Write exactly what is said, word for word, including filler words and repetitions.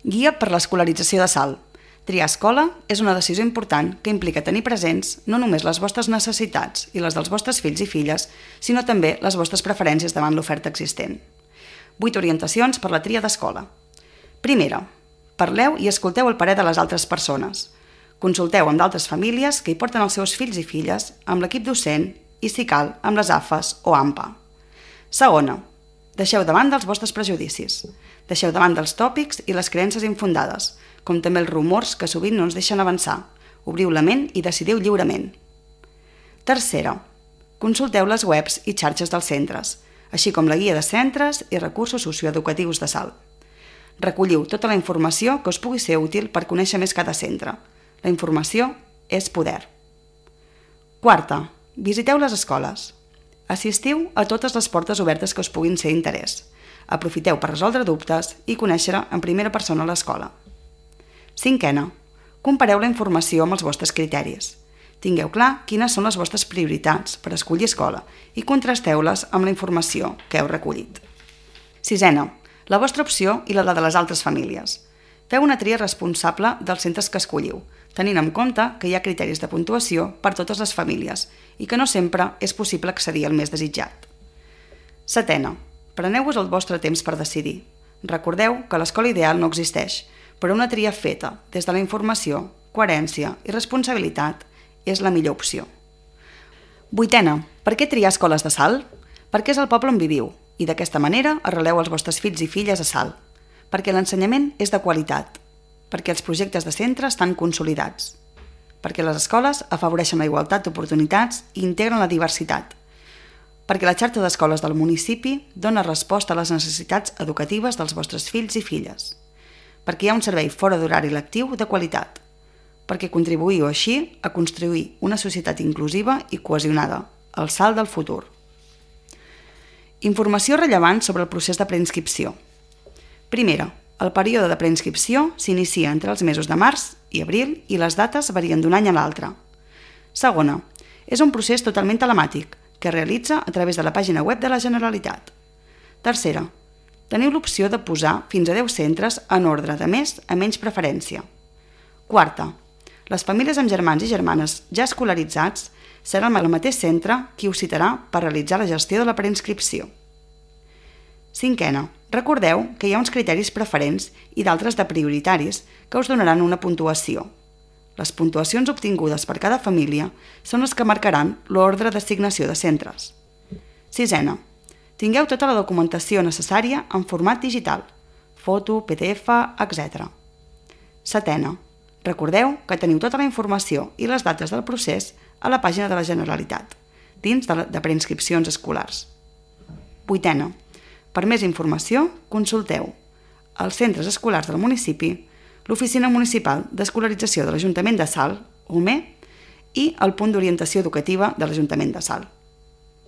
Guia per l'escolarització de Salt. Triar escola és una decisió important que implica tenir presents no només les vostres necessitats i les dels vostres fills i filles, sinó també les vostres preferències davant l'oferta existent. vuit orientacions per la tria d'escola. Primera, parleu i escolteu el parer de les altres persones. Consulteu amb d'altres famílies que hi porten els seus fills i filles, amb l'equip docent i, si cal, amb les A F As o A M P A. Segona, deixeu de banda els vostres prejudicis. Deixeu de banda els tòpics i les creences infundades, com també els rumors que sovint no ens deixen avançar. Obriu la ment i decidiu lliurement. Tercera, consulteu les webs i xarxes dels centres, així com la guia de centres i recursos socioeducatius de Salt. Recolliu tota la informació que us pugui ser útil per conèixer més cada centre. La informació és poder. Quarta, visiteu les escoles. Assistiu a totes les portes obertes que us puguin ser d'interès. Aprofiteu per resoldre dubtes i conèixer en primera persona l'escola. Cinquena, compareu la informació amb els vostres criteris. Tingueu clar quines són les vostres prioritats per escollir escola i contrasteu-les amb la informació que heu recollit. Sisena, la vostra opció i la de les altres famílies. Feu una tria responsable dels centres que escolliu, tenint en compte que hi ha criteris de puntuació per totes les famílies i que no sempre és possible accedir al més desitjat. Setena, preneu-vos el vostre temps per decidir. Recordeu que l'escola ideal no existeix, però una tria feta des de la informació, coherència i responsabilitat és la millor opció. Vuitena, per què triar escoles de Salt? Perquè és el poble on viviu i d'aquesta manera arreleu els vostres fills i filles a Salt. Perquè l'ensenyament és de qualitat. Perquè els projectes de centre estan consolidats. Perquè les escoles afavoreixen la igualtat d'oportunitats i integren la diversitat. Perquè la xarxa d'escoles del municipi dona resposta a les necessitats educatives dels vostres fills i filles. Perquè hi ha un servei fora d'horari lectiu de qualitat. Perquè contribuïu així a construir una societat inclusiva i cohesionada, el Salt del futur. Informació rellevant sobre el procés de preinscripció. Primera, el període de preinscripció s'inicia entre els mesos de març i abril i les dates varien d'un any a l'altre. Segona, és un procés totalment telemàtic que es realitza a través de la pàgina web de la Generalitat. Tercera, teniu l'opció de posar fins a deu centres en ordre de més a menys preferència. Quarta, les famílies amb germans i germanes ja escolaritzats seran el mateix centre qui us citarà per realitzar la gestió de la preinscripció. Cinquena, recordeu que hi ha uns criteris preferents i d'altres de prioritaris que us donaran una puntuació. Les puntuacions obtingudes per cada família són les que marcaran l'ordre d'assignació de centres. Sisena, tingueu tota la documentació necessària en format digital, foto, P D F, etcètera. Setena, recordeu que teniu tota la informació i les dates del procés a la pàgina de la Generalitat, dins de, de preinscripcions escolars. Vuitena, per més informació, consulteu els centres escolars del municipi, l'Oficina Municipal d'Escolarització de l'Ajuntament de Salt, O M E, i el Punt d'Orientació Educativa de l'Ajuntament de Salt.